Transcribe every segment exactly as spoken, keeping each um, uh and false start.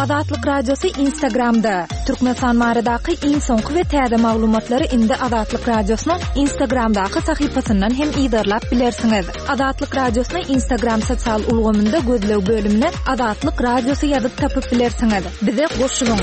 Azatlyk Radiosy Instagramda. Türkmenistan baradaky iň soňky we täze maglumatlary indi Azatlyk Radiosynyň Instagramdaky sahypasyndan hem yzarlap bilersiňiz. Azatlyk Radiosyny Instagram sosial ulgamynda gözleg bölümine Azatlyk Radiosy ýazyp tapyp bilersiňiz. Bize goşulyň.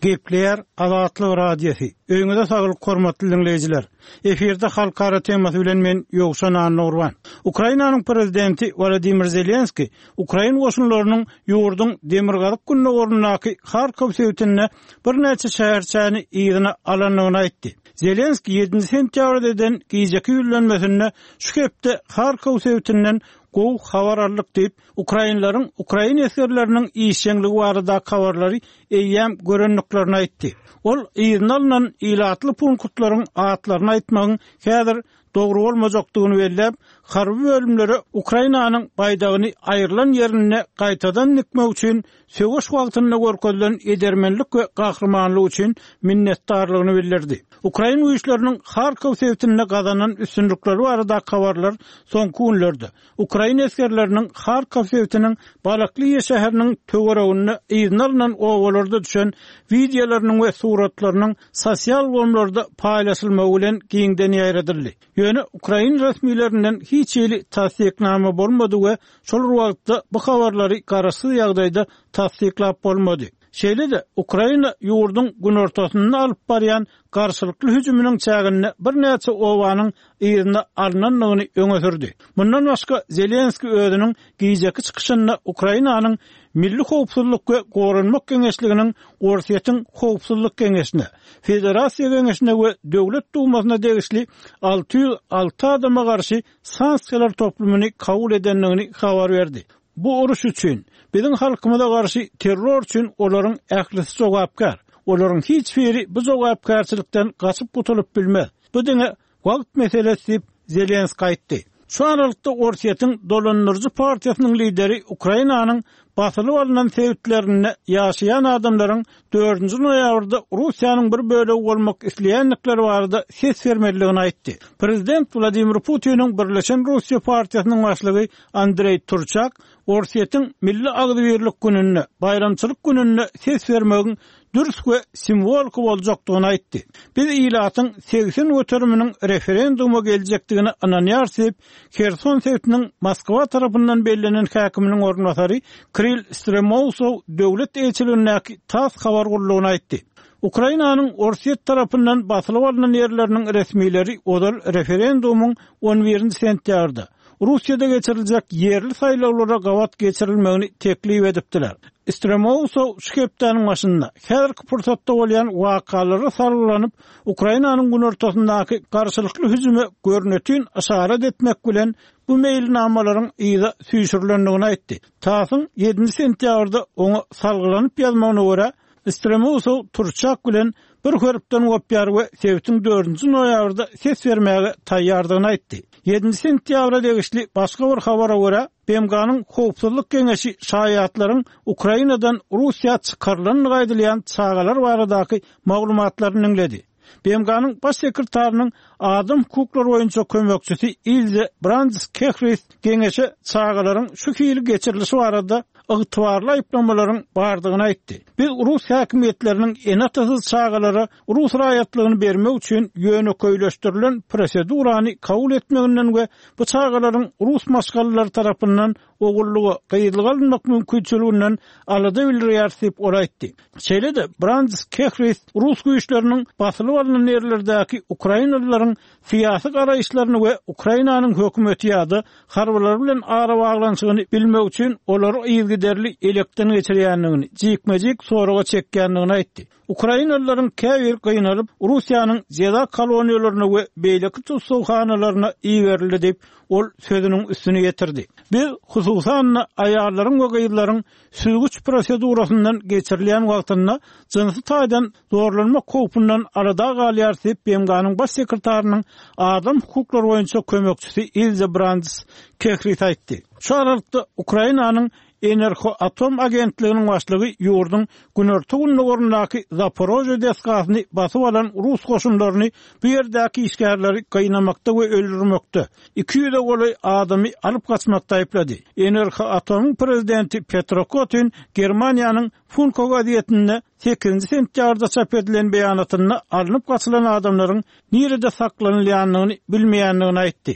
Gepleýär Azatlyk Radiosy. Öýüňize saglyk hormatly diňleýjiler. Efirde halkara temasy bilen men Ýowşan Annagurban. Ukrainanyň prezidenti Wladimir Zelenski ukrain goşunlarynyň ýurduň demirgazyk gündogaryndaky Harkow sebitinde birnäçe şäherçäni yzyna alandygyny aýtdy. Zelenski ýedinji sentýabrda eden gijeki ýüzlenmesinde şu hepde Harkow sebitinden gowy habar aldyk diýip, ukrainleriň ukrain esgerleriniň işjeňligi baradaky habarlary eýýäm görendiklerini aýtdy. Ol yzyna alnan ilatly punktlaryň atlaryny aýtmagyň häzir dogry bolmajakdygyny belläp, harby bölümlere Ukrainanyň baýdagyny aýrylan ýerinde gaýtadan dikmek üçin söweş wagtynda görkezilen edermenlik we gahrymanlyk üçin minnetdarlygyny bildirdi. Ukrain güýçleriniň Harkow sebitinde gazanan üstünlikleri baradaky habarlar soňky günlerde ukrain esgerleriniň Harkow sebitiniň Balakliýa şäheriniň töwereginde yzyna alnan obalarda düşen wideolarynyň we suratlarynyň sosial ulgamlarda paýlaşylmagy bilen giňden ýaýradyldy. Ýöne ukrain resmilerinden hiç hili tassyknama bolmady we şol bir wagtda bu habarlary garaşsyz ýagdaýda tassyklap bolmady. Şeýle-de Ukraina ýurduň günortasynda alyp barýan garşylykly hüjüminiň çäginde birnäçe obanyň yzyna alnandygyny öňe sürdi. Mundan başga Zelenski özüniň gijeki çykyşynda Ukrainanyň Milli howpsuzlyk we goranmak geňeşliginiň Orsýetiň howpsuzlyk geňeşine, Federasiýa geňeşine we Döwlet dumasyna degişli alty ýüz alty adama garşy sanksiýalar toplumyny kabul edendigini habar berdi. Bu uruş üçin, biziň halkymyza garşy terror üçin olaryň ählisi jogapkär. Olaryň hiç biri bu jogapkärçilikden gaçyp gutulyp bilmez. Bu diňe wagt meselesi diýip Zelenski aýtdy. Şu aralykda Orsýetiň dolandyryjy partiýasynyň lideri Ukrainanyň basylyp alnan sebitlerinde ýaşaýan adamlaryň dördünji noýabrda Russiýanyň bir bölegi bolmak isleýändikleri barada ses bermelidigini aýtdy. Prezident Wladimir Putiniň Birleşen Russiýa partiýasynyň başlygy Andreý Turçak Orsýetiň Milli agzybirlik gününde, baýramçylyk gününde ses bermegiň dürs we simwoliki boljakdygyny aýtdy. Biz ilatyň segsen göteriminiň referenduma geljekdigine ynanýarys diýip, Herson sebitiniň Moskwa tarapyndan bellenen häkiminiň orunbasary Kirill Stremousow döwlet eýeçiligindäki TASS habar gullugyna aýtdy. Ukrainanyň Orsýet tarapyndan basylyp alnan ýerleriniň resmileri ozal referendumyň on birinji sentýabrda Russiýada geçiriljek ýerli saýlawlara gabat geçirilmegini teklip edipdiler. Stremousow şu hepdäniň başynda häzirki pursatda bolýan wakalara salgylanyp, Ukrainanyň günortasyndaky garşylykly hüjüme görnetin yşarat etmek bilen bu meýilnamalaryň yza süýşürilendigini aýtdy. TASS-yň ýedinji sentýabrda oňa salgylanyp ýazmagyna görä, Stremousow Turçak bilen bir hörpden gopýar we sebitiň dördünji noýabrda ses bermäge taýýardygyny aýtdy. Ýedinji sentýabra degişli başga bir habara görä, B M G-nyň Howpsuzlyk Geňeşi şaýatlaryň Ukrainadan Russiýa çykarylandygy aýdylýan çagalar baradaky maglumatlaryny diňledi. B M G-nyň baş sekretarynyň adam hukuklary boýunça kömekçisi Ilze Brands Kehris geňeşe çagalaryň şu hili geçirilişi barada ygtybarly aýyplamalaryň bardygyny aýtdy. Biz rus häkimiýetleriniň ene-atasyz çagalara rus raýatlygyny bermek üçin ýönekeýleşdirilen prosedurany kabul etmeginden we bu çagalaryň rus maşgalalary tarapyndan ogullyga, gyzlyga alynmak mümkinçiliginden alada bildirýär diýip ol aýtdy. Şeýle-de Brands Kehris rus güýçleriniň basylyp alnan ýerlerdäki ukrainalylaryň syýasy garaýyşlaryny we Ukrainanyň hökümeti ýa-da harbylary bilen arabaglanyşygyny bilmek üçin olary yzygiderli elekden geçirýändigini, jikme-jik soraga çekýändigini aýtdy. Ukrainalylaryň käbir gynalyp Russiýanyň jeza koloniýalaryna we beýleki tussaghanalaryna iberildi diýip ol sözüniň üstüni ýetirdi. Biz hususan-da aýallaryň we gyzlaryň süzgüç prosedurasyndan geçirilýän wagtynda jynsy taýdan zorlanmak howpundan alada galýar diýip B M G-nyň baş sekretarynyň adam hukuklary boýunça kömekçisi Ilze Brands Kehris aýtdy. Şu aralykda Ukrainanyň Enerhoatom agentliginiň başlygy ýurduň günorta-gündogaryndaky Zaporožýe desgasyny basyp alan rus goşunlaryny bu ýerdäki işgärleri gynamakda we öldürmekde, iki ýüze golaý adamy alyp gaçmakda aýyplady. Enerhoatomyň prezidenti Petro Kotin Germaniýanyň Funko gazetinde sekizinji sentýabrda çap edilen beýanatynda alnyp gaçylan adamlaryň nirede saklanylýandygyny bilmeýändigini aýtdy.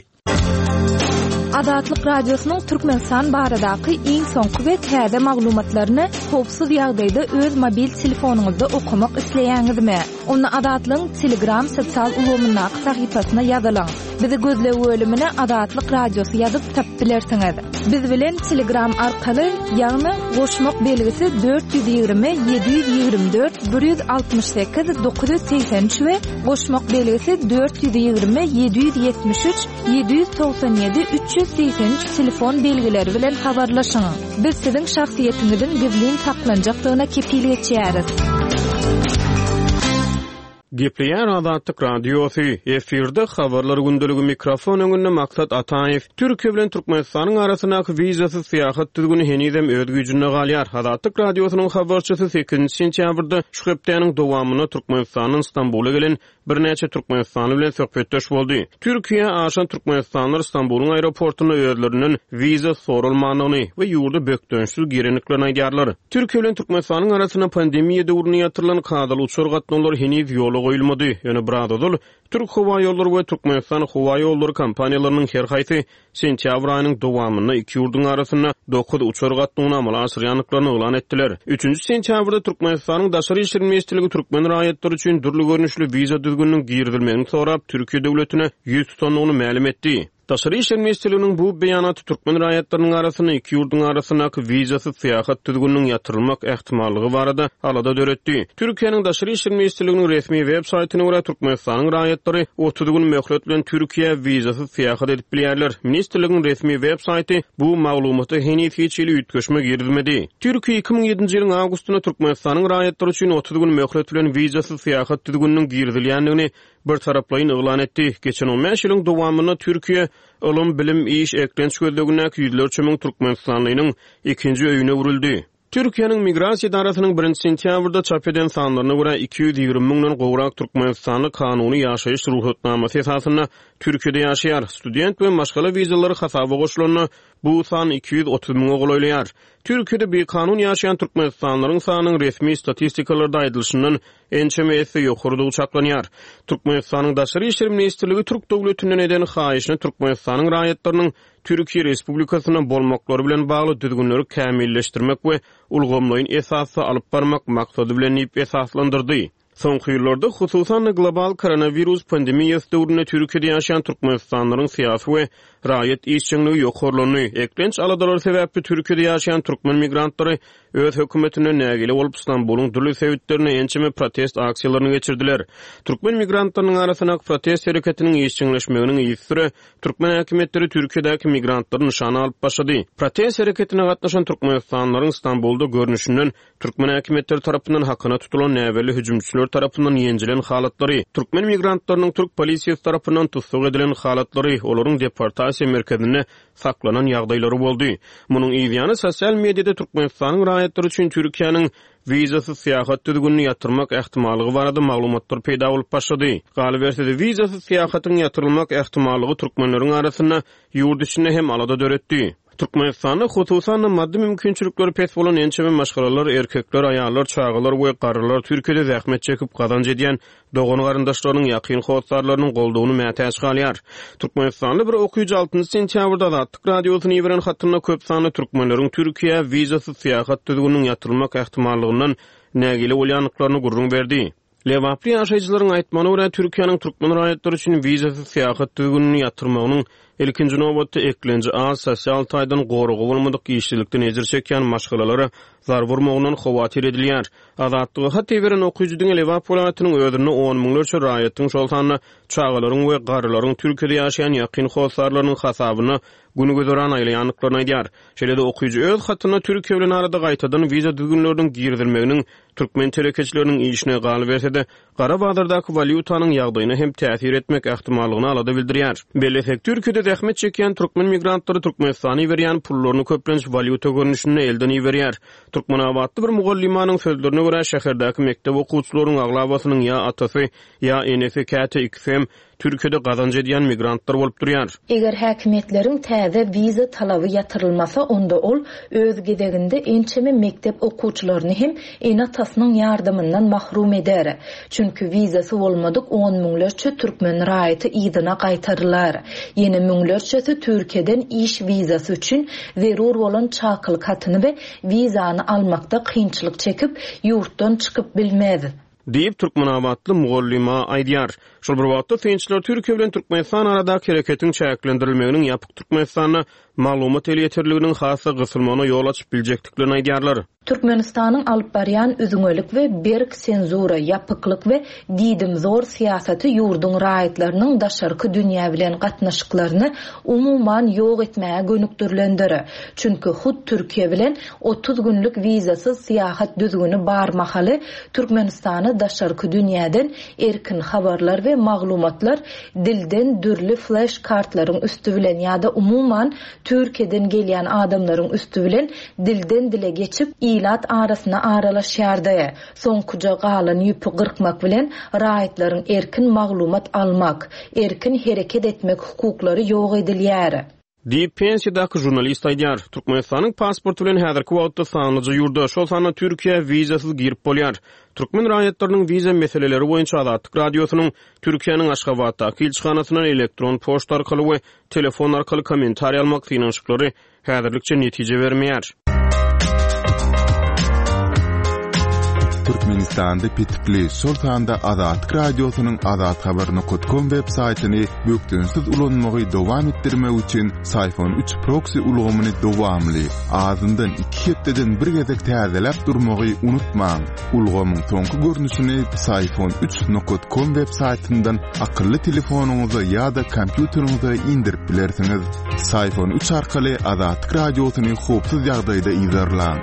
Azatlyk Radiosynyň Türkmenistan baradaky iň soňky we täze maglumatlaryny howpsuz ýagdaýda öz mobil telefonyňyzda okamak isleýäňizmi? Onda Azatlygyň Telegram sosial ulgamyndaky sahypasyna ýazylyň. Bizi gözleg bölümine Azatlyk Radiosy ýazyp tapyp bilersiňiz. Biz bilen Telegram arkaly, ýagny goşmak belgisi dört ýüz ýigrimi ýedi ýüz ýigrimi dört bir ýüz altmyş sekiz dokuz ýüz segsen üç we goşmak belgisi dört ýüz ýigrimi ýedi ýüz ýetmiş üç ýedi ýüz togsan ýedi üç ýüz segsen üç telefon belgileri bilen habarlaşyň. Biz siziň şahsyýetiňiziň gizlin saklanjakdygyna kepil geçýäris. Gepleýär Azatlyk Radiosy, efirde habarlar gündeligi, mikrofon öňünde Maksat Ataýew. Türkiýe bilen Türkmenistanyň arasyndaky wizasyz syýahat düzgüni henizem öz güýjünde galýar. Azatlyk Radiosynyň habarçysy sekizinji sentýabrda şu hepdäniň dowamynda Türkmenistandan Stambula gelen birnäçe türkmenistanly bilen söhbetdeş boldy. Türkiýä aşan türkmenistanlylar Stambulyň aeroportunda özlerinden wiza soralmandygyny we ýurda bökdençsiz girendiklerini aýdýarlar. Türkiýe bilen Türkmenistanyň arasynda pandemiýa döwründe ýatyrylan kadaly uçar gatnawlary heniz ýola goýulmady. Ýöne biraz ozal Türk howa ýollary we Türkmenistan howa ýollary kompaniýalarynyň her haýsy sentýabr aýynyň dowamynda iki ýurduň arasynda dokuz uçar gatnawyny amala aşyrýandyklaryny yglan etdiler. Üçünji sentýabrda Türkmenistanyň Daşary işler ministrligi türkmen raýatlary üçin dürli görnüşli wiza düzgüniniň girizilmegini sorap Türkiýe döwletine ýüz tutandygyny mälim etdi. Daşary işler ministrliginiň bu beýanaty türkmen raýatlarynyň arasynda iki ýurduň arasyndaky wizasyz syýahat düzgüniniň ýatyrylmak ähtimallygy barada alada döretdi. Türkiýäniň Daşary işler ministrliginiň resmi web saýtyna görä Türkmenistanyň raýatlary otuz gün möhlet bilen Türkiýä wizasyz syýahat edip bilýärler. Ministrligiň resmi web saýty bu maglumata heniz hiç hili üýtgeşme girizmedi. Türkiýe iki müň ýedinji ýylyň awgustynda Türkmenistanyň raýatlary üçin otuz gün möhlet bilen wizasyz syýahat düzgüniniň girizilýändigini bir taraplaýyn yglan etdi. Geçen on bäş ýylyň dowamynda Türkiýe ylym, bilim, iş, eklenç gözlegindäki ýüzlerçe müň türkmenistanlynyň ikinji öýüne öwrüldi. Türkiýäniň Migrasiýa edarasynyň birinji sentýabrda çap eden sanlaryna görä iki ýüz ýigrimi müňden gowrak türkmenistanly kanuny ýaşaýyş rugsatnamasy esasynda Türkiýede ýaşaýar. Student we maşgala wizalary hasaba goşulanda bu san iki ýüz otuz müňe golaýlaýar. Türkiýede bikanun ýaşaýan türkmenistanlylaryň sanynyň resmi statistikalarda aýdylyşyndan ençeme esse ýokarydygy çaklanýar. Türkmenistanyň Daşary işler ministrligi Türk döwletinden eden haýyşyny Türkmenistanyň raýatlarynyň Türkiýe Respublikasynda bolmaklary bilen bagly düzgünleri kämilleşdirmek we ulgamlaýyn esasda alyp barmak maksady bilen diýip esaslandyrdy. Soňky ýyllarda hususan-da global koronawirus pandemiýasy döwründe Türkiýede ýaşaýan türkmenistanlylaryň syýasy we raýat işjeňligi ýokarlandy. Eklenç aladalary sebäpli Türkiýede ýaşaýan türkmen migrantlary öz hökümetinden nägile bolup Stambulyň dürli sebitlerinde ençeme protest aksiýalaryny geçirdiler. Türkmen migrantlarynyň arasyndaky protest hereketiniň işjeňleşmeginiň yzysüre türkmen häkimiýetleri Türkiýedäki migrantlary nyşana alyp başlady. Protest hereketine gatnaşan türkmenistanlylaryň Stambulda görnüşinden türkmen häkimiýetleri tarapyndan hakyna tutulan näbelli hüjümçiler tarapyndan ýenjilen halatlary, türkmen migrantlarynyň türk polisiýasy tarapyndan tussag edilen halatlary, olaryň deportasiýa merkezinde saklanan ýagdaýlary boldy. Munuň yzýany sosial mediada Türkmenistanyň raýatlary üçin Türkiýäniň wizasyz syýahat düzgünini ýatyrmak ähtimallygy barada maglumatlar peýda bolup başlady. Galyberse-de wizasyz syýahatyň ýatyrylmak ähtimallygy türkmenleriň arasynda ýurt içinde hem alada döretdi. Türkmenistanda hususan-da maddy mümkinçilikleri pes bolan ençeme maşgalalar, erkekler, aýallar, çagalar we garrylar Türkiýede zähmet çekip gazanç edýän dogan garyndaşlarynyň ýakyn hossarlarynyň goldawyny mätäç galýar. Türkmenistanly bir okyjy altynjy sentýabrda Azatlyk Radiosyny iberen hatynda köp sanly türkmenleriň Türkiýä wizasyz syýahat düzgüniniň ýatyrylmak ähtimallygyndan nägile bolýandyklaryny gürrüň berdi. Lebaply ýaşaýjylaryň aýtmagyna görä Türkiýäniň türkmen raýatlary üçin wizasyz syýahat düzgünini ýatyrmagynyň ilkinji nobatda eklenji az sosial taýdan goragy bolmadyk işsizlikden ejir çekýän maşgalalara zarba urmagyndan howatyr edilýär. Azatlyga hat iberen okyjy diňe Lebap welaýatynyň özünde on müňlerçe raýatyň, şol sanda çagalaryň we garrylaryň Türkiýede ýaşaýan ýakyn hossarlarynyň hasabyna gün güzeran aýlaýandyklaryny aýdýar. Şeýle-de okyjy öz hatynda Türkiýe bilen arada gaýtadan wiza düzgünleriniň girizilmeginiň türkmen telekeçileriniň işine galyberse-de gara bazardaky walýutanyň ýagdaýyna hem täsir etmek ähtimallygyny alada bildirýär. Bellesek, Türkiýede zähmet çekýän türkmen migrantlary Türkmenistana iberýän pullaryny köplenç walýuta görnüşinde elden iberýär. Türkmenabatly bir mugallymanyň sözlerine görä, şäherdäki mekdep okuwçylarynyň aglabasynyň ýa atasy, ýa enesi, käte ikisi hem Türkiýede gazanç edýän migrantlar bolup durýar. Eger häkimiýetleriň täze wiza talaby ýatyrylmasa, onda ol öz gezeginde ençeme mekdep okuwçylaryny hem ene-atasynyň ýardamyndan mahrum eder. Çünki wizasy bolmadyk on müňlerçe türkmen raýaty yzyna gaýtarylar. Ýene müňlerçesi Türkiýeden iş wizasy üçin zerur bolan çakylyk hatyny we wizany almakda kynçylyk çekip, ýurtdan çykyp bilmez. Diýip, türkmenabatly mugallyma aýdýar. Şol bir wagtda synçylar Türkiýe bilen Türkmenistan aradaky hereketiň çäklendirilmeginiň ýapyk Türkmenistanda maglumat elýeterliginiň has-da gysylmagyna ýol açyp biljekdiklerini aýdýarlar. Türkmenistanyň alyp barýan üzňelik we berk senzura, ýapyklyk we diýdimzor syýasaty ýurduň raýatlarynyň daşarky dünýä bilen gatnaşyklaryny umuman ýok etmäge gönükdirilendir. Çünki hut Türkiýe bilen otuz günlük wizasyz syýahat düzgüni bar mahaly Türkmenistana daşarky dünýäden erkin habarlar we maglumatlar dilden dürli flash kartlaryň üstü bilen ýa-da umuman Türkiýeden gelýän adamlaryň üstü bilen dilden dile geçip ilat arasyna aralaşýardy. Soňkuja galan ýüpi gyrkmak bilen raýatlaryň erkin maglumat almak, erkin hereket etmek hukuklary ýok edilýär. Diýip, pensiýadaky žurnalist aýdýar. Türkmenistanyň pasporty bilen häzirki wagtda sanlyja ýurda, şol sanda Türkiýä wizasyz girip bolýar. Türkmen raýatlarynyň wiza meseleleri boýunça Azatlyk Radiosynyň Türkiýäniň Aşgabatdaky ilçihanasyndan elektron poçta arkaly we telefon arkaly kommentariý almak synanyşyklary häzirlikçe netije bermeýär. Türkmenistanda petikli, şol sanda Azatlyk Radiosynyň azathabar nokta com web saýtyny bökdençsiz ulanmagy dowam etdirmek üçin Syfon üç proxy ulgamyny dowamly, azyndan iki hepdeden bir gezek täzeläp durmagy unutmaň. Ulgamyň soňky görnüşini Syfon üç nokta com web saýtyndan akylly telefonyňyza ýa-da kompýuteriňize indirip bilersiňiz. Syfon üç arkaly Azatlyk Radiosyny howpsuz ýagdaýda yzarlaň.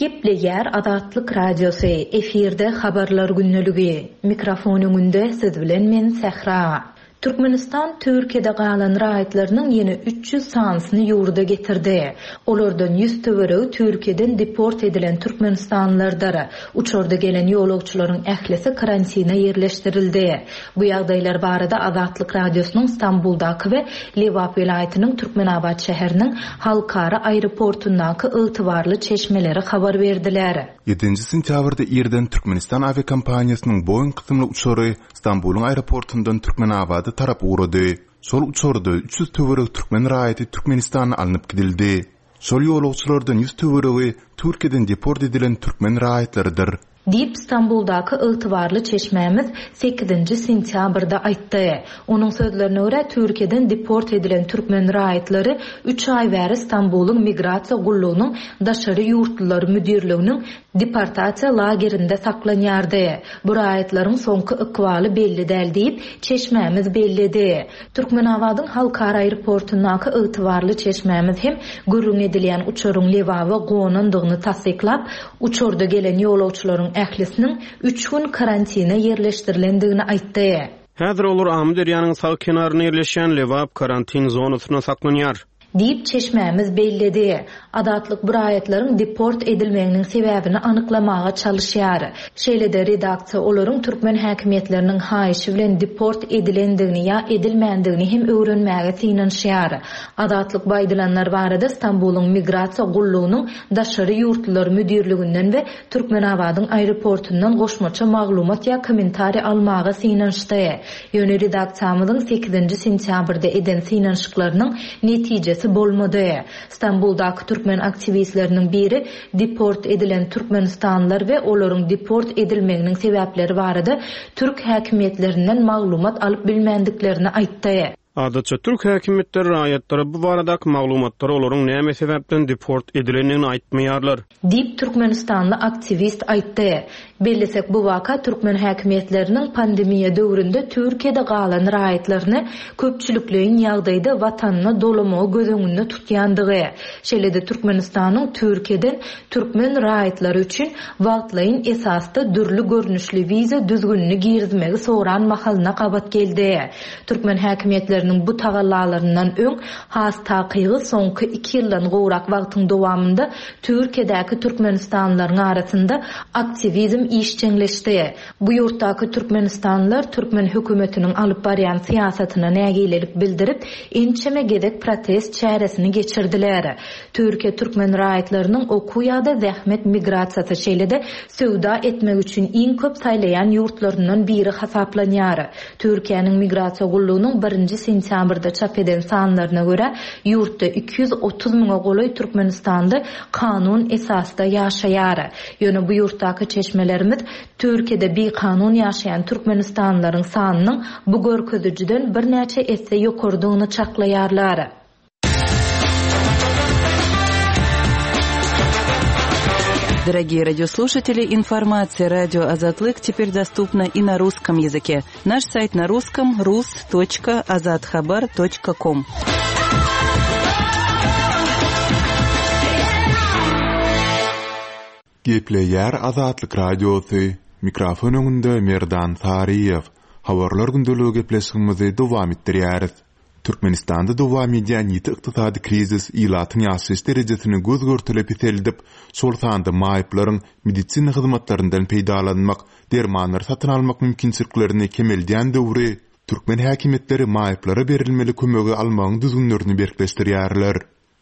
Gepleýär Azatlyk Radiosy, efirde habarlar günlügi. Mikrofon öňünde siz bilen men Sähra. Türkmenistan Türkiýede galan raýatlarynyň ýene üç ýüz sanysyny ýurda getirdi. Olardan ýüz töweregi Türkiýeden deport edilen türkmenistanlylardyr. Uçarda gelen ýolagçylaryň ählisi karantina ýerleşdirildi. Bu ýagdaýlar barada Azatlyk Radiosynyň Stambuldaky we Lebap welaýatynyň Türkmenabat şäheriniň halkara aeroportundaky ygtybarly çeşmeleri habar berdiler. Ýedinji sentýabrda irden Türkmenistan awiakompaniýasynyň Boeing kysymly uçary Stambulyň aeroportundan Türkmenabada tarap ugrady. Şol uçarda üç ýüz töweregi türkmen raýaty Türkmenistana alnyp gidildi. Şol ýolagçylardan ýüz töweregi Türkiýeden deport edilen türkmen raýatlarydyr. Diýip, Stambuldaky ygtybarly çeşmämiz sekizinji sentýabrda aýtdy. Onuň sözlerine görä, Türkiýeden deport edilen türkmen raýatlary üç aý bäri Stambulyň migrasiýa gullugynyň daşary ýurtlular müdirliginiň deportasiýa lagerinde saklanýardy. Bu raýatlaryň soňky ykbaly belli däl diýip, çeşmämiz belledi. Türkmenabadyň halkara aeroportundaky ygtybarly çeşmämiz hem gürrüň edilýän uçaryň Lebaba gonandygyny tassyklap, uçarda gelen ýolagçylaryň ählisiniň üç gün karantina ýerleşdirilendigini aýtdy. Häzir olar Amyderýanyň sag kenarynda ýerleşýän Lebap karantin zonasynda saklanýar. Diýip çeşmämiz belledi. Azatlyk bu raýatlaryň deport edilmeginiň sebäbini anyklamaga çalyşýar. Şeýle-de redaksiýa olaryň türkmen häkimiýetleriniň haýyşy bilen deport edilendigini ýa edilmändigini hem öwrenmäge synanyşýar. Azatlyk bu aýdylanlar barada Stambulyň migrasiýa gullugynyň daşary ýurtlular müdirliginden we Türkmenabadyň aeroportundan goşmaça maglumat ýa kommentariý almaga synanyşdy. Ýöne redaksiýamyzyň sekizinji sentýabrda eden synanyşyklarynyň netijesi bolmady. Stambuldaky türkmen aktiwistleriniň biri deport edilen türkmenistanlylar we olaryň deport edilmeginiň sebäpleri barada türk häkimiýetlerinden maglumat alyp bilmändiklerini aýtdy. Adatça türk häkimiýetleri raýatlara bu baradaky maglumatlary olaryň näme sebäpden deport edilendigini aýtmaýarlar. Diýip, türkmenistanly aktiwist aýtdy. Bellesek, bu waka türkmen häkimiýetleriniň pandemiýa döwründe Türkiýede galan raýatlaryny köpçülikleýin ýagdaýda watanyna dolamagy göz öňünde tutýandygy, şeýle-de Türkmenistanyň Türkiýeden türkmen raýatlary üçin wagtlaýyn esasda dürli görnüşli wiza düzgünini girizmegi soran mahalyna gabat geldi. Türkmen häkimiýetleriniň bu tagallalaryndan öň, has takygy soňky iki ýyldan gowrak wagtyň dowamynda Türkiýedäki türkmenistanlylaryň arasynda aktiwizm işjeňleşdi. Bu ýurtdaky türkmenistanlylar türkmen hökümetiniň alyp barýan syýasatyna nägilelik bildirip, ençeme gezek protest çäresini geçirdiler. Türkiýe türkmen raýatlarynyň okuw ýa-da zähmet migrasiýasy, şeýle-de söwda etmek üçin iň köp saýlaýan ýurtlaryndan biri hasaplanýar. Türkiýäniň Migrasiýa gullugynyň birinji sentýabrda çap eden sanlaryna görä, ýurtda iki ýüz otuz müňe golaý türkmenistanly kanun esasda ýaşaýar. Ýöne bu ýurtdaky çeşmelerimiz Türkiýede bikanun ýaşaýan türkmenistanlylaryň sanynyň bu görkezijiden birnäçe esse ýokarydygyny çaklaýarlar. Дорогие радиослушатели, информация радио Азатлык теперь доступна и на русском языке. Наш сайт на русском rus точка azathabar точка ком. Gepleýär Azatlyk Radiosy. Mikrofon öňünde Merdan Saryýew. Habarlar gündeligi gepleşigimizi dowam etdirýäris. Türkmenistanda dowam edýän ýiti ykdysady krizis ilatyň ýaşaýyş derejesini göz görtele peseldip, şol sanda maýyplaryň medisina hyzmatlaryndan peýdalanmak, dermanlary satyn almak mümkinçiliklerini kemeldýän döwri türkmen häkimiýetleri maýyplara berilmeli kömegi almagyň düzgünlerini berkleşdirýärler.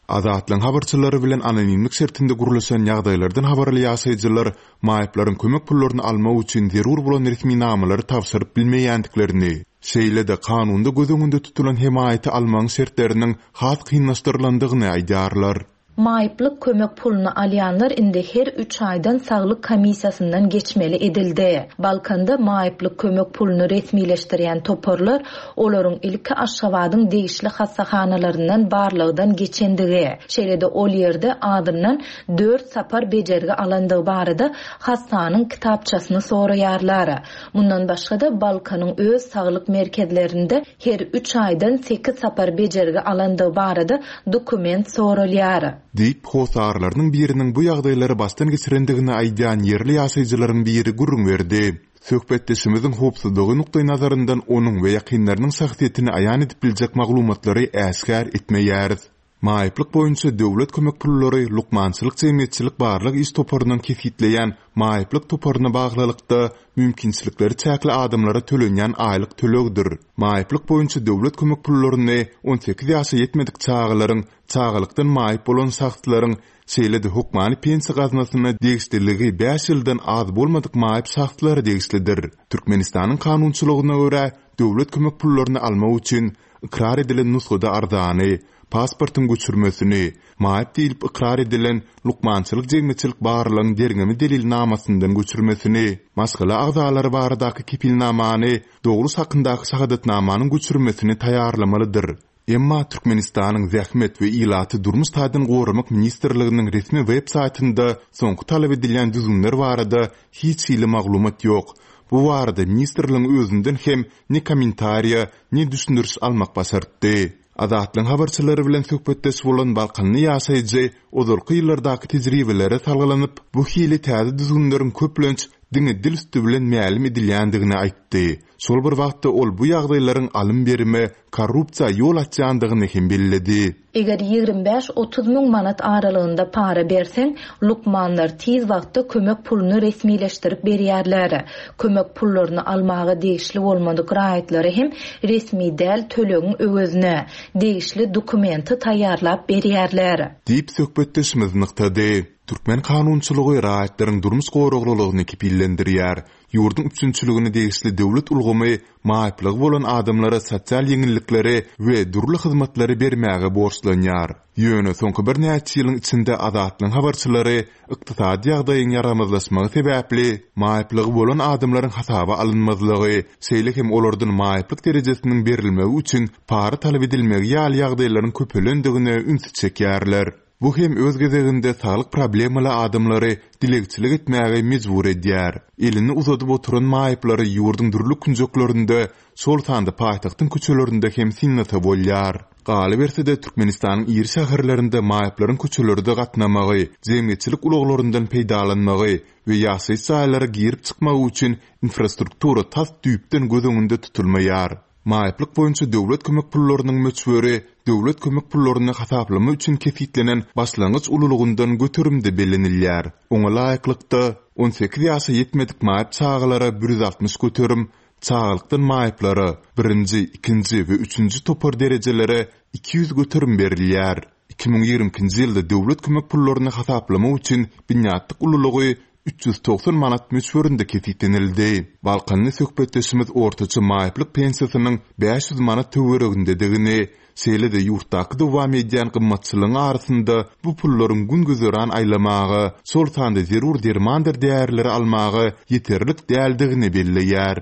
Azatlygyň habarçylary bilen anonimlik şertinde gurluşan ýagdaýlardan habarly ýaşaýjylar maýyplaryň kömek pullaryny almak üçin zerur bolan resminamalary tabşyryp bilmeýändiklerini, şeýle-de kanunda göz öňünde tutulan hemaýaty almagyň şertleriniň has kynlaşdyrylandygyny aýdýarlar. Maýyplyk kömek puluny alýanlar indi her üç aýdan saglyk komissiýasyndan geçmeli edildi. Balkanda maýyplyk kömek puluny resmileşdirýän toparlar olaryň ilki Aşgabadyň degişli hassahanalaryndan barlagdan geçendigi, şeýle-de ol ýerde adyndan dört sapar bejergi alandygy barada hassanyň kitapçasyny soraýarlar. Mundan başga-da Balkanyň öz saglyk merkezlerinde her üç aýdan sekiz sapar bejergi alandygy barada dokument soralýar. Diýip, hosarlarynyň biriniň bu ýagdaýlary başdan geçirendigini aýdýan ýerli ýaşaýjylaryň biri gürrüň berdi. Söhbetdeşimiziň howpsuzlygy nukdaý nazaryndan onuň we ýakynlarynyň şahsyýetini aýan edip biljek maglumatlary äşgär etmeýäris. Maýyplyk boýunça döwlet kömek pullary lukmançylyk jemgyýetçilik barlyk iş toparynyň kesgitleýän maýyplyk toparyna baglylykda mümkinçilikleri çäkli adamlara tölenýän aýlyk tölegdir. Maýyplyk boýunça döwlet kömek pullaryny on sekiz ýaşa ýetmedik çagalaryň, çagalykdan maýyp bolan şahslaryň, şeýle-de hökmany pensiýa gaznasyna degişliligi bäş ýyldan az bolmadyk maýyp şahslara degişlidir. Türkmenistanyň kanunçylygyna görä, döwlet kömek pullaryny almak üçin ykrar edilen nusgada arzany, pasportyň göçürmesini, maýyp diýlip ykrar edilen lukmançylyk jemgyýetçilik barlygyň derňemi delilnamasyndan göçürmesini, maşgala agzalary baradaky kepilnamany, dogruş hakyndaky şahadatnamanyň göçürmesini taýýarlamalydyr. Emma Türkmenistanyň Zähmet we ilaty durmuş taýdan goramak ministrliginiň resmi web saýtynda soňky talap edilýän düzgünler barada hiç hili maglumat ýok. Bu barada ministrligiň özünden hem ne kommentariýa, ne düşündiriş almak başartdy. Azatlygyň habarçylary bilen söhbetdeş bolan Balkanly ýaşaýjy ozalky ýyllardaky tejribelere salgylanyp, bu hili täze düzgünleriň köplenç diňe dil üstü bilen mälim edilýändigini aýtdy. Şol bir wagtda ol bu ýagdaýlaryň alym berime, korrupsiýa ýol açýandygyny hem belledi. Eger ýigrimi bäş otuz müň manat aralygynda para berseň, lukmanlar tiz wagtda kömek puluny resmileşdirip berýärler. Kömek pullaryny almaga degişli bolmadyk raýatlary hem resmi däl tölegiň öwezine degişli dokumenti taýýarlap berýärler. Diýip söhbetdeşimiz nygtady. Türkmen kanunçylygy raýatlaryň durmuş goraglylygyny kepillendirýär. Ýurduň üpjünçiligine degişli döwlet ulgamy maýyplygy bolan adamlara sosial ýeňillikleri we dürli hyzmatlary bermäge borçlanýar. Ýöne soňky birnäçe ýylyň içinde Azatlygyň habarçylary ykdysady ýagdaýyň ýaramazlaşmagy sebäpli maýyplygy bolan adamlaryň hasaba alynmazlygy, şeýle hem olardan maýyplyk derejesiniň berilmegi üçin para talap edilmegi ýaly ýagdaýlaryň köpelendigine ünsi çekýärler. Bu hem öz gezeginde saglyk problemaly adamlary dilegçilik etmäge mejbur edýär. Elini uzadyp oturan maýyplary ýurduň dürli künjeklerinde, şol sanda paýtagtyň köçelerinde hem synlasa bolýar. Galyberse-de, Türkmenistanyň iri şäherlerinde maýyplaryň köçelerde gatnamagy, jemgyýetçilik ulaglaryndan peýdalanmagy we ýaşaýyş jaýlara girip-çykmagy üçin infrastruktura tas düýpden göz öňünde tutulmaýar. Maýyplyk boýunça döwlet kömek pullarynyň möçberi döwlet kömek pullaryny hasaplama üçin kesgitlenen başlangyç ululygyndan göterimde bellenilýär. Oňa laýyklykda, on sekiz ýaşa ýetmedik maýyp çagalara bir ýüz altmyş göterim, çagalykdan maýyplara, birinji, ikinji we üçünji topar derejelere iki ýüz göterim berilýär. Iki müň ýigrimi ikinji ýylda döwlet kömek pullaryny hasaplamak üçin binýatlyk ululygy üç ýüz togsan manat möçberinde kesgitlenildi. Balkanly söhbetdeşimiz ortaça maýyplyk pensiýasynyň bäş ýüz manat töweregindedigini, şeýle-de ýurtdaky dowam edýän gymmatçylygyň arasynda bu pullaryň gün-güzeran aýlamaga, şol sanda zerur dermandyr därileri almaga ýeterlik däldigini belleýär.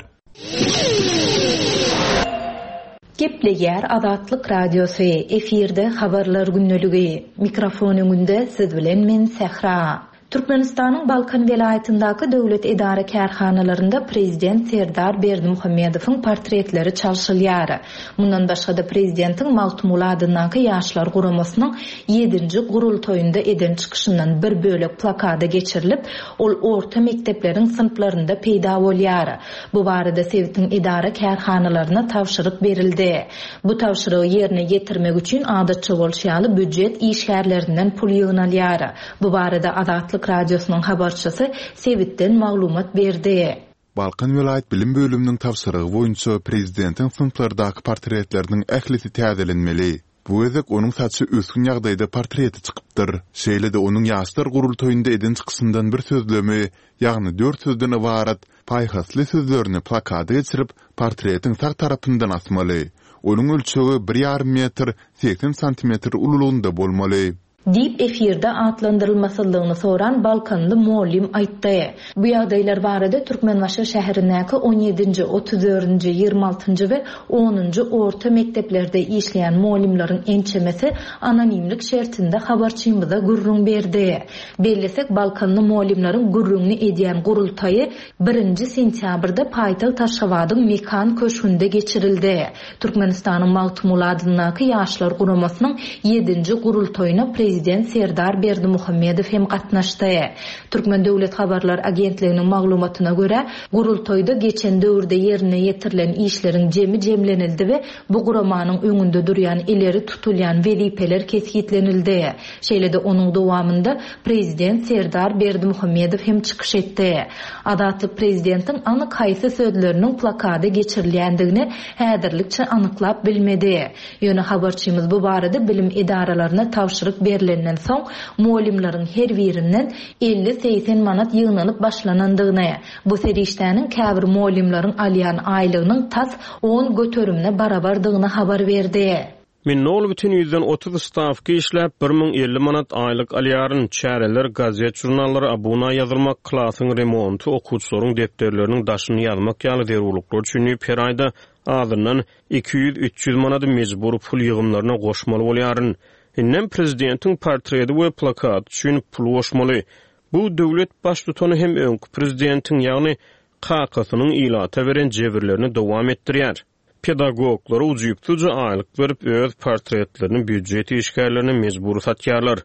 Gepleýär Azatlyk Radiosy, efirde Habarlar gündeligi. Mikrofon öňünde siz bilen men Sähra. Türkmenistanyň Balkan welaýatyndaky döwlet edara kärhanalarynda prezident Serdar Berdimuhamedowyň portretleri çalşylýar. Mundan başga-da prezidentiň Magtymguly adyndaky Ýaşlar guramasynyň ýedinji gurultaýynda eden çykyşyndan bir bölek plakada geçirilip, ol orta mekdepleriň synplarynda peýda bolýar. Bu barada sebitiň edara kärhanalaryna tabşyryk berildi. Bu tabşyrygy ýerine ýetirmek üçin adatça bolşy ýaly býujet işgärlerinden pul ýygnalýar. Bu barada Azatlyk Radiosynyň habarçysy sebitden maglumat berdi. Balkan welaýat bilim bölüminiň tabşyrygy boýunça prezidentiň synplardaky portretleriniň ählisi täzelenmeli. Bu gezek onuň saçy ösgün ýagdaýda portreti çykypdyr. Şeýle-de onuň ýaşlar gurultaýynda eden çykyşyndan bir sözlemi, ýagny dört sözden ybarat paýhasly sözlerini plakada geçirip, portretiň sag tarapyndan asmaly. Onuň ölçegi bir ýarym metr segsen santimetr ululygynda bolmaly. Diýip efirde atlandyrylmasyzlygyny soran Balkanly mugallym aýtdy. Bu ýagdaýlar barada Türkmenbaşy şäherindäki on ýedinji, otuz dördünji, ýigrimi altynjy we onunjy orta mekdeplerde işleýän mugallymlaryň ençemesi anonimlik şertinde habarçymyza gürrüň berdi. Bellesek, Balkanly mugallymlaryň gürrüňini edýän gurultaýy birinji sentýabrda paýtagt Aşgabadyň Mekan köşgünde geçirildi. Türkmenistanyň Magtymguly adyndaky Ýaşlar guramasynyň ýedinji gurultaýyna prezident Serdar Berdimuhamedow hem gatnaşdy. Türkmen Döwlet Habarlar Agentliginiň maglumatyna görä, gurultaýda geçen döwürde ýerine ýetirilen işleriň jemi jemlenildi we bu guramanyň öňünde durýan ileri tutulýan wezipeler kesgitlenildi. Şeýle-de onuň dowamynda prezident Serdar Berdimuhamedow hem çykyş etdi. Azatlyk prezidentiň anyk haýsy sözleriniň plakada geçirilýändigini häzirlikçe anyklap bilmedi. Ýöne habarçymyz bu barada bilim edaralaryna tabşyryk berilenden soň mugallymlaryň her birinden elli-segsen manat ýygnalyp başlanandygyny, bu serişdäniň käbir mugallymlaryň alýan aýlygynyň tas on göterimine barabardygyny habar berdi. Men nol bütin ýüzden otuz stawka işläp, bir müň elli manat aýlyk alýaryn. Çäreler, gazet, jurnallara abuna ýazylmak, klasyň remonty, okuwçylaryň depderleriniň daşyny ýazmak ýaly zerurlyklar üçin diýip her aýda azyndan iki ýüz, üç ýüz manady mejbur pul ýygymlaryna goşmaly bolýaryn. Indem prezidentiň portreti we plakaty üçin pul goşmaly. Bu döwlet baştutany hem öňki prezidentiň, ýagny kakasynyň ilata beren jebirlerini dowam etdirýär. Pedagoglara ujypsyzja aýlyk berip, öz portretlerini býujet işgärlerine mejbur satýarlar.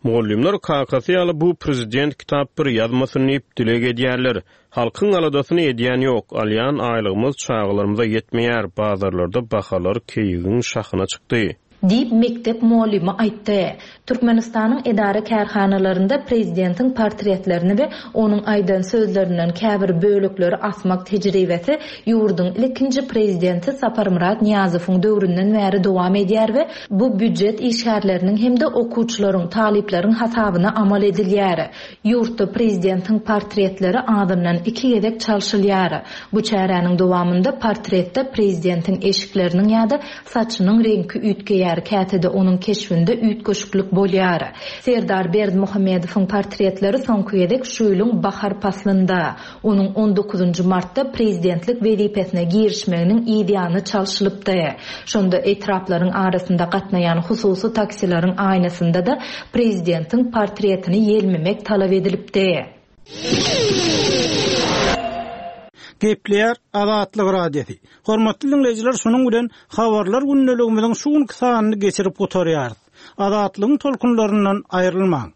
Mugallymlar kakasy ýaly bu prezident kitap bir ýazmasyn diýip dileg edýärler. Halkyň aladasyny edýän ýok, alýan aýlygymyz çagalarymyza ýetmeýär, bazarlarda bahalar keýigiň şahyna çykdy. Diýip, mekdep mugallymy aýtdy. Türkmenistanyň edara-kärhanalarynda prezidentiň portretlerini we onuň aýdan sözlerinden käbir bölekleri asmak tejribesi ýurduň ilkinji prezidenti Saparmyrat Nyýazowyň döwründen bäri dowam edýär we bu býujet işgärleriniň hem-de okuwçylaryň, talyplaryň hasabyna amal edilýär. Ýurtda prezidentiň portretleri azyndan iki gezek çalşylýar. Bu çäräniň dowamynda portretde prezidentiň eşikleriniň ýa-da saçynyň reňki üýtgeýär, käte-de onuň keşbinde üýtgeşiklik bolýar. Serdar Berdimuhamedowyň portretleri soňky gezek şu ýylyň bahar paslynda, onuň on dokuzynjy martda prezidentlik wezipesine girişmeginiň yzýany çalşylypdy. Şonda etraplaryň arasynda gatnaýan hususy taksileriň aýnasynda-da prezidentiň portretini ýelmemek talap edilipdi. Gepleýär Azatlyk Radiosy. Hormatly dinleýjiler, şunuň bilen habarlar gündeligimiziň şu günki sanyny geçirip gutarýarys. Azatlygyň tolkunlaryndan aýrylmaň.